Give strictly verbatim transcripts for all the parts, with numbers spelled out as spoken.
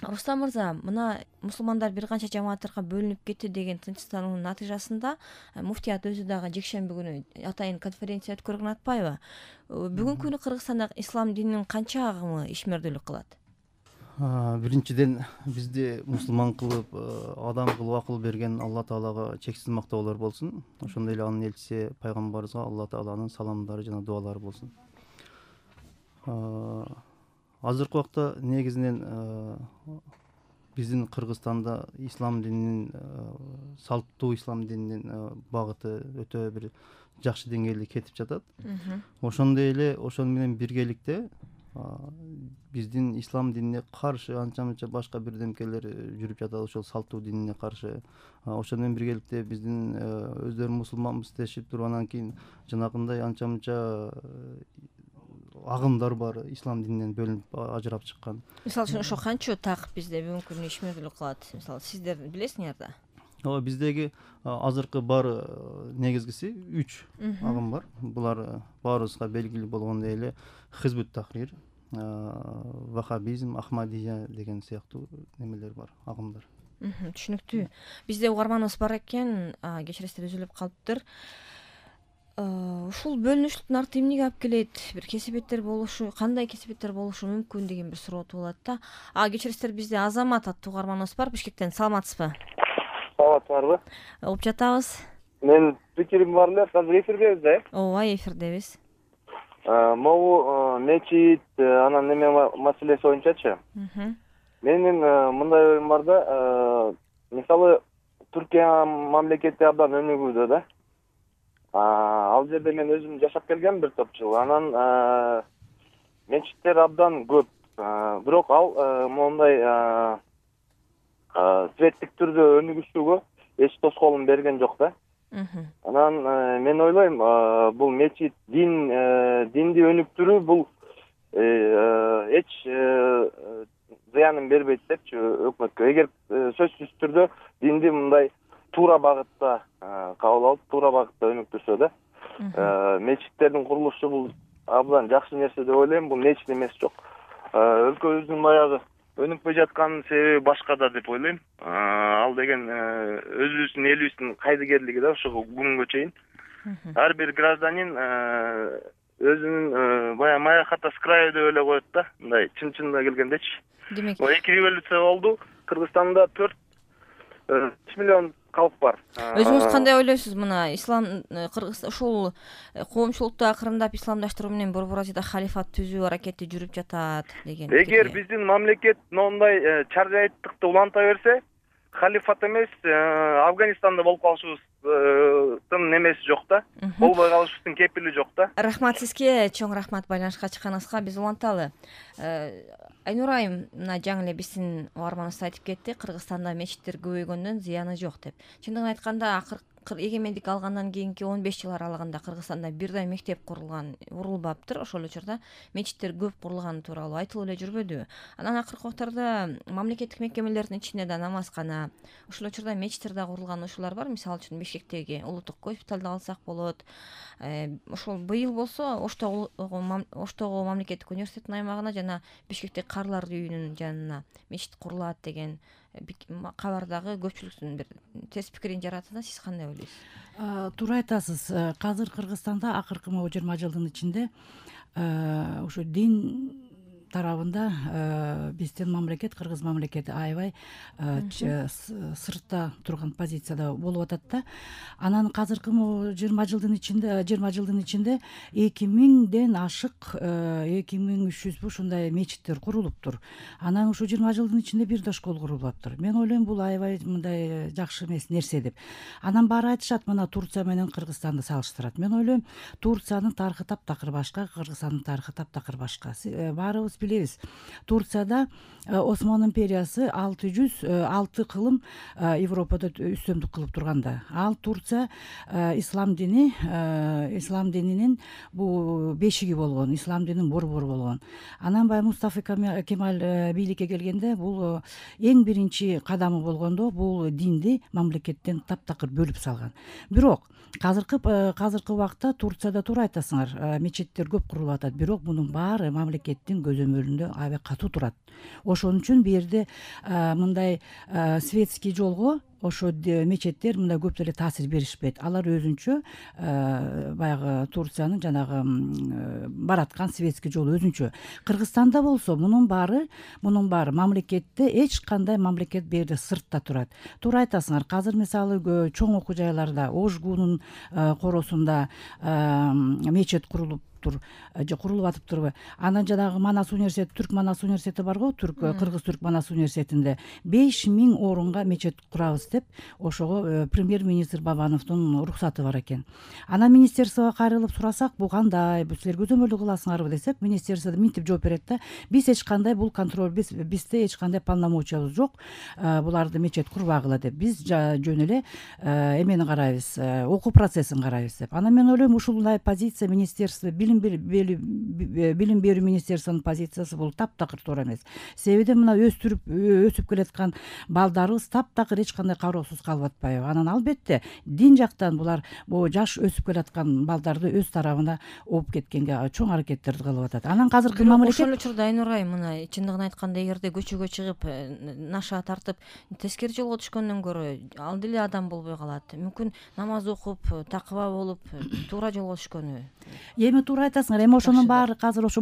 Рустам мырза, мына мусулмандар бир канча жамааттарга бөлүнүп кетти деген тынчтануунун натыйжасында муфтият өзү дагы жекшемби күнү атайын конференция өткөргөн атпайбы? Бүгүнкү күнү Кыргызстанда ислам дининин канча агымы ишмердүүлүк кылат? Биринчиден бизди мусулман кылып, адам кылып акыл берген Алла Таалага чексиз мактоолор болсун. Ошондой эле анын элчиси пайгамбарыбызга Алла Тааланын саламдары жана дуалары болсун. Азыркы убакта негизинен биздин Кыргызстанда ислам дининин, салттуу ислам дининин багыты өтө бир жакшы деңгээлде кетип жатат. Ошондой эле ошону менен биргеликте биздин ислам динине каршы анча мынча башка бирдемкелер жүрүп жатат, ошол салттуу динине каршы. Ошону менен биргеликте биздин өздөрү мусулманбыз дешип туруп, анан кийин жанагындай анча мынча агымдар бар, ислам дининен бөлүнүп ажырап чыккан. Мисалы үчүн ошо канча так бизде бүгүнкү күнү ишмердүүлүк кылат? Мисалы сиздер билесиңер да. Ооба, биздеги азыркы бар негизгиси үч агым бар. Булар баарыбызга белгилүү болгондой эле Хизбут Тахрир, Вахабизм, Ахмадия деген сыяктуу немелер бар, агымдар. Түшүнүктүү. Бизде угарманыбыз бар экен, кечиресиздер үзүлүп калыптыр. Ушул бөлүнүштүн арты эмнеге алып келет? Бир кесипеттер болушу, кандай кесипеттер болушу мүмкүн деген бир суроо туулат да. А кечиресиздер, бизде Азамат аттуу угарманыбыз бар Бишкектен. Саламатсызбы? Саламатсызбы? Угуп жатабыз. Мен пикирим бар эле, азыр эфирдебиз да? Ооба, эфирдебиз. Могу мечит, анан неме маселеси боюнчачы. Менин мындай оюм бар да, мисалы Түркия мамлекети абдан өнүгүүдө да. Ал жерде мен өзүм жашап келгем бир топ жыл. Анан мечиттер абдан көп. Бирок ал мондай светтик түрдө өнүгүшүүгө эч тоскоолун берген жок да. Анан мен ойлойм, бул мечит дин динди өнүктүрүү бул эч зыянын бербейт депчи өкмөткө. Эгер сөзсүз түрдө динди мындай туура багытта кабыл алып, туура багытта өнүктүрсө да, мечиттердин курулушу бул абдан жакшы нерсе деп ойлойм. Бул мечит эмес жок. Өлкөбүздүн баягы өнүкпөй жатканын себеби башка да деп ойлойм. Ал деген өзүбүздүн элибиздин кайдыгерлиги да ошого күнгө чейин. Ар бир гражданин өзүнүн баягы моя хата с краю деп эле коет да, мындай чын-чынына келгендечи. Демек, эки революция болду. Кыргызстанда төрт миллион калк бар. Өзүңүз кандай ойлойсуз? Мына ислам Кыргыз ушул коомчулукту акырындап исламдаштыруу менен Борбор Азияда халифат түзүү аракети жүрүп жатат деген. Эгер биздин мамлекет мондай чаржайттыкты уланта берсе, халифат эмес, Афганистанда болуп калышыбыздын немеси жок да. Болбой калышыбыздын кепили жок да. Рахмат сизге, чоң рахмат байланышка чыкканыңызга. Биз уланталы. Айнур айым мына жаңы эле биздин угарманыбыз айтып кетти, Кыргызстанда мечиттер көбөйгөндөн зыяны жок деп. Чындыгын айтканда, акыр эгемендик алгандан кийинки он беш жыл аралыгында Кыргызстанда бир да мектеп курулган урулбаптыр. Ошол учурда мечиттер көп курулганы тууралуу айтылып эле жүрбөдүбү? Анан акыркы убактарда мамлекеттик мекемелердин ичинде да намазкана, ошол учурда мечиттер да курулган ушулар бар. Мисалы үчүн Бишкектеги улуттук госпиталды алсак болот. Ошол быйыл болсо Оштогу Оштогу мамлекеттик университеттин аймагына жана Бишкектеги Карлар үйүнүн жанына мечит курулат деген кабардагы көпчүлүктүн бир терс пикирин жаратты да. Сиз кандай ойлойсуз? Туура айтасыз. Казыр Кыргызстанда акыркы могу жыйырма жылдын ичинде ушу дин тарабында биздин мамлекет, Кыргыз мамлекети аябай сыртта турган позицияда болуп атат да. Анан казыркы жыйырма жылдын ичинде, жыйырма жылдын ичинде эки миңден ашык, эки миң үч жүз ушундай мечиттер курулуптур. Анан ушу жыйырма жылдын ичинде бир да школ курулуптур. Мен ойлойм, бул аябай мындай жакшы эмес нерсе деп. Анан баары айтышат, мына Турция менен Кыргызстанды салыштырат. Мен ойлойм, Турциянын тарыхы таптакыр башка, Кыргызстандын тарыхы таптакыр башка. Баарыбыз билебиз. Турцияда Осман империясы алты жүз алты кылым Европада үстөмдүк кылып турганда, ал Турция ислам дини, ислам дининин бул бешиги болгон, ислам дининин борбору болгон. Анан баягы Мустафа Кемаль бийликке келгенде бул эң биринчи кадамы болгондо бул динди мамлекеттен таптакыр бөлүп салган. Бирок казыркы казыркы убакта Турцияда туура айтасыңар, мечиттер көп курулуп атат. Бирок мунун баары мамлекеттин көзөмөлү көзөмөлүндө аябай катуу турат. Ошон үчүн бул жерде мындай светский жолго ошо мечеттер мындай көп деле таасир беришпейт. Алар өзүнчө баягы Турциянын жанагы бараткан светский жолу өзүнчө. Кыргызстанда болсо мунун баары мунун баары мамлекетте эч кандай мамлекет бул жерде сыртта турат. Туура айтасыңар. Азыр мисалы чоң окуу жайларда Ожгунун коросунда мечет курулуп же курулуп атыптырбы? Анан жанагы Манас университети, Түрк Манас университети барго, Түрк Кыргыз Түрк Манас университетинде беш миң орунга мечет курабыз деп ошого премьер-министр Бабановдун уруксаты бар экен. Анан министерствого кайрылып сурасак, бул кандай, силер көзөмөлдү кыласыңарбы десек, министерство минтип жооп берет да, биз эч кандай бул контроль, биз бизде эч кандай полномочиябыз жок, буларды мечет курбагыла деп. Биз жөн эле эмени карайбыз, окуу процессин карайбыз деп. Анан мен ойлойм, ушундай позиция министерство билим берүү министерствонун позициясы бул таптакыр туура эмес. Себеби мына өстүрүп өсүп келаткан балдарыбыз таптакыр эч кандай кароосуз калып атпайбы? Анан албетте дин жактан булар бул жаш өсүп келаткан балдарды өз тарабына ооп кеткенге чоң аракеттерди кылып атат. Анан азыркы мамлекет ошол учурда Айнур айым, мына чындыгын айтканда, эгерде көчөгө чыгып наша тартып тескери жолго түшкөндөн көрө ал деле адам болбой калат. Мүмкүн намаз окуп, такыба болуп, туура жолго түшкөнү. Эми туура айтасыңар. Эми ошонун баары азыр ошо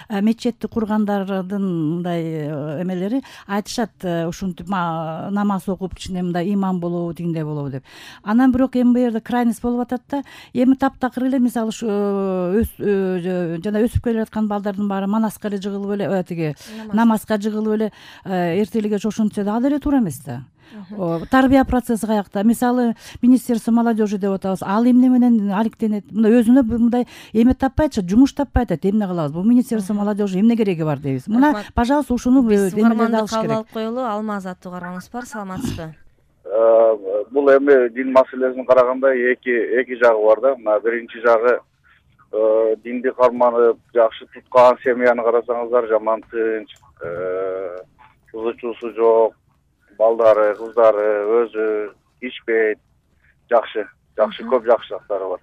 мечетти кургандардын мындай эмелери айтышат, ушинтип намаз окуп ичинде мындай имам болобу, тигиндей болобу деп. Анан бирок эми бул жерде крайность болуп атат да. Эми таптакыр эле мисалы ушу жана өсүп келе жаткан балдардын баары Манаска эле жыгылып эле, тиги намазга жыгылып эле эртеликке чошунтса да, ал эле туура эмес да. Тарбия процесси каякта? Мисалы министерство молодежи деп атабыз. Ал эмне менен алектенет? Мына өзүнө мындай эме таппай атышат, жумуш таппай атат. Эмне кылабыз? Бул министерство молодежи эмне кереги бар дейбиз. Мына, пожалуйста, ушуну эмелерди алыш керек. Кабыл коелу. Алмаз аттуу кармаңыз бар. Саламатсызбы? Бул эми дин маселесин караганда эки эки жагы бар да. Мына биринчи жагы динди карманып, жакшы туткан семьяны карасаңыздар, жаман тынч, кызы чуусу жок, балдары, кыздары өзү ичпейт, жакшы, жакшы көп жакшы жактары бар.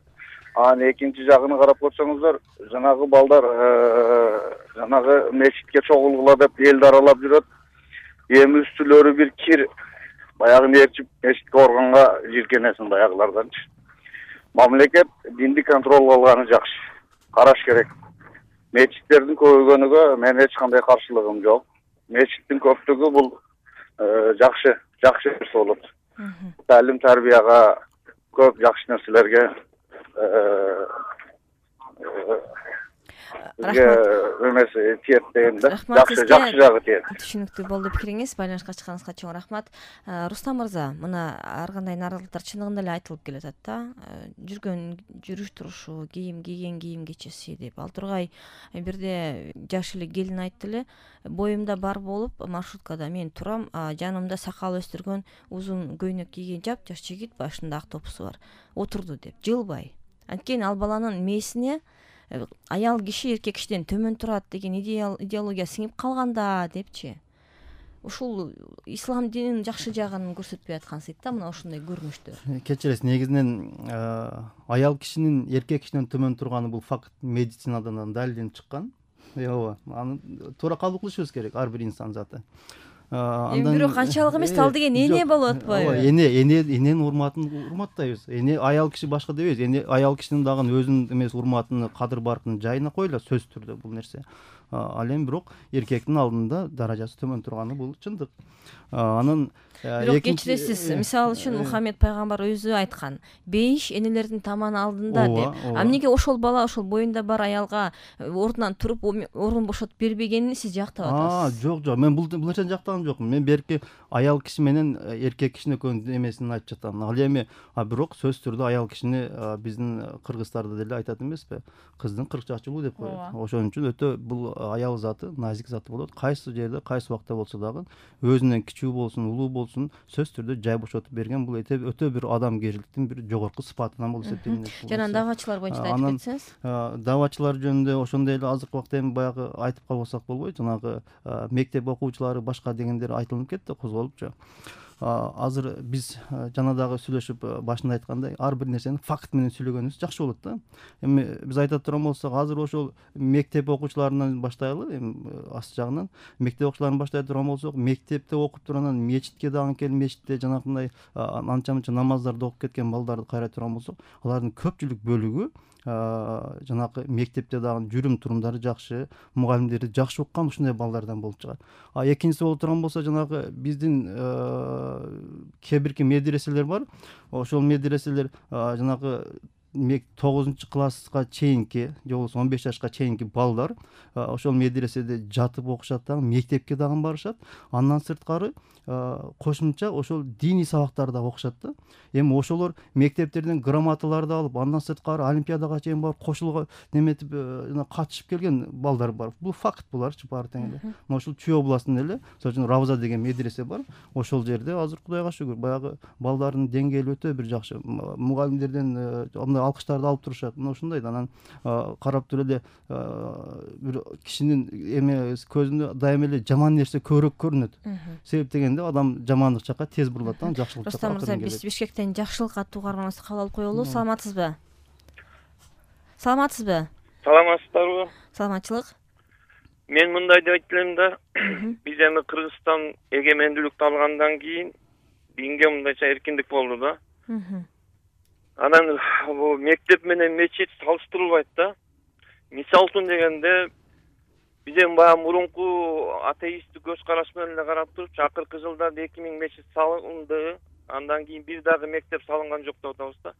Анан экинчи жагын карап көрсөңүздөр, жанагы балдар жанагы мечитке чогулгула деп элди аралап жүрөт. Эми үстүлөрү бир кир, баягы нерчип мечитке барганга жиркенесиң баягыларданчы. Мамлекет динди контролго алганы жакшы, караш керек. Мечиттердин көбөйгөнүгө мен эч кандай каршылыгым жок. Мечиттин көптүгү бул жакшы, жакшы нерсе болот. Талим тарбияга, көп жакшы нерселерге эмеси тиет дейм да. Жакшы, жакшы жагы тиет. Түшүнүктүү болду пикириңиз. Байланышка чыкканыңызга чоң рахмат. Рустам мырза, мына ар кандай нааразылыктар чындыгында эле айтылып келатат да. Жүргөн жүрүш турушу, кийим кийген кийим кечеси деп. Ал тургай бирде жаш эле келин айтты эле, боюмда бар болуп маршруткада мен турам, жанымда сакал өстүргөн узун көйнөк кийген жап-жаш жигит, башында ак топусу бар, отурду деп, жылбай. Анткени ал баланын мээсине аял киши эркек кишиден төмөн турат деген идеология сиңип калганда депчи. Ушул ислам динин жакшы жагын көрсөтпөй аткансыйт да, мына ушундай көрүнүштөр. Кечиресиз, негизинен аял кишинин эркек кишиден төмөн турганы бул факт медицинадан далилденип чыккан. Ооба, аны туура кабыл кылышыбыз керек, ар бир инсан заты. Эми бирок канчалык эмес, ал деген эне болуп атпайбы? Эне, эне, эненин урматын урматтайбыз. Эне аял киши башка дебейбиз. Эне аял кишинин дагы өзүнүн эмес урматын, кадыр баркын жайына койгула, сөзсүз түрдө бул нерсе. Ал эми бирок эркектин алдында даражасы төмөн турганы бул чындык. Анан бирок кечиресиз, мисалы үчүн Мухаммед пайгамбар өзү айткан, бейиш энелердин таманы алдында деп. А эмнеге ошол бала ошол боюнда бар аялга ордунан туруп орун бошотуп бербегенин сиз жактап атасыз? Жок, жок, мен бул нерсени жактаган жокмун. Мен берки аял киши менен эркек кишинин экөөнүн эмесин айтып жатам. Ал эми бирок сөзсүз түрдө аял кишини биздин кыргыздарда деле айтат эмеспи? Кыздын кырк чачылуу деп коет. Ошон үчүн өтө бул аял заты, назик заты болот. Кайсы жерде, кайсы убакта болсо дагы өзүнөн кичүү болсун, улуу болсун, сөзсүз түрдө жай бошотуп берген бул өтө бир адамгерчиликтин бир жогорку сыпатынан болуп эсептелинет. Жана давачылар боюнча айтып кетсеңиз? Давачылар жөнүндө ошондой эле азыркы убакта эми баягы айтып калбасак болбойт. Жанагы мектеп окуучулары башка дегендер айтылып кетти, козголупчу. азыр биз жана дагы сүйлөшүп башында айткандай ар бир нерсени факт менен сүйлөгөнүбүз жакшы болот да. Эми биз айта турган болсок азыр ошол мектеп окуучуларынан баштайлы, эми аст жагынан мектеп окуучуларын баштай турган болсок, мектепте окуп туруп анан мечитке дагы келип мечитте жанакындай анча мынча намаздарды окуп кеткен балдарды карай турган болсок, алардын көпчүлүк бөлүгү жанакы мектепте дагы жүрүм турумдары жакшы, мугалимдери жакшы уккан ушундай балдардан болуп чыгат. А экинчиси болуп турган болсо жанагы биздин кээ бирки медреселер бар. Ошол медреселер жанагы тогузунчу класска чейинки же болбосо он беш жашка чейинки балдар ошол медреседе жатып окушат дагы, мектепке дагы барышат. Андан сырткары кошумча ошол диний сабактарды да окушат да. Эми ошолор мектептерден грамоталарды алып, андан сырткары олимпиадага чейин барып кошулга неметип жана катышып келген балдар бар. Бул факт буларчы баары тең эле. Мына ушул Чүй областында эле, мисалы үчүн Равза деген медресе бар. Ошол жерде азыр Кудайга шүгүр баягы балдардын деңгээли өтө бир жакшы. Мугалимдерден андай алкыштарды алып турушат. Мына ушундай да. Анан карап туруп эле бир кишинин эме көзүндө дайыма эле жаман нерсе көбүрөөк көрүнөт. Себеп дегенде адам жамандык жакка тез бурулат да, жакшылык жакка. Рустам мырза, биз Бишкектен жакшылык аттуу каарманыбызды кабыл алып коелу. Саламатсызбы? Саламатсызбы? Саламатсыздарбы? Саламатчылык. Мен мындай деп айтып элем да, биз эми Кыргызстан эгемендүүлүктү алгандан кийин динге мындайча эркиндик болду да. Анан бул мектеп менен мечит салыштырылбайт да. Мисал үчүн дегенде биз эми баягы мурунку атеисттик көз караш менен эле карап туруп, акыркы жылдарда эки миң мечит салынды, андан кийин бир дагы мектеп салынган жок деп атабыз да.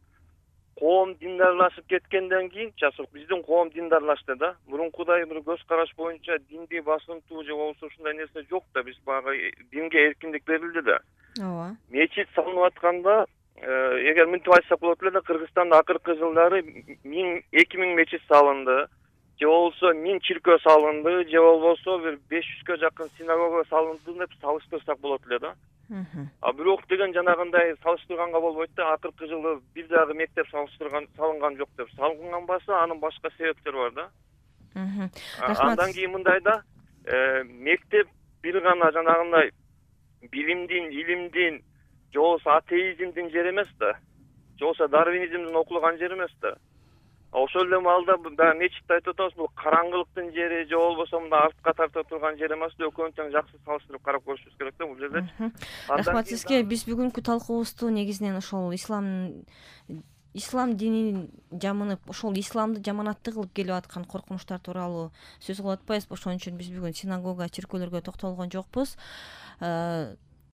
Коом диндарлашып кеткенден кийин, часык биздин коом диндарлашты да. Мурункудай бир көз караш боюнча динди басымтуу же болбосо ушундай нерсе жок да. Биз баягы динге эркиндик берилди да. Ооба. Мечит салынып атканда, эгер мынтип айтсак болот эле да, Кыргызстанда акыркы жылдары эки миң мечит салынды, же болбосо миң чиркөө салынды, же болбосо бир беш жүзгө жакын синагога салынды деп салыштырсак болот эле да. А бирок деген жанагындай салыштырганга болбойт да. Акыркы жылы бир дагы мектеп салыштырган салынган жок деп. Салынган болсо анын башка себептери бар да. Андан кийин мындай да, мектеп бир гана жанагындай билимдин, илимдин, же болбосо атеизмдин жери эмес да. Же болбосо дарвинизмдин окулган жери эмес да. Ошол эле маалда баягы мечитти айтып атабыз, бул караңгылыктын жери же болбосо мындай артка тарта турган жери эмес да. Экөөнүн тең жакшы салыштырып карап көрүшүбүз керек да бул жерде. Рахмат сизге. Биз бүгүнкү талкуубузду негизинен ошол ислам ислам динин жамынып, ошол исламды жаманаттуу кылып келип аткан коркунучтар тууралуу сөз кылып атпайбызбы? Ошон үчүн биз бүгүн синагога, чиркөөлөргө токтолгон жокпуз.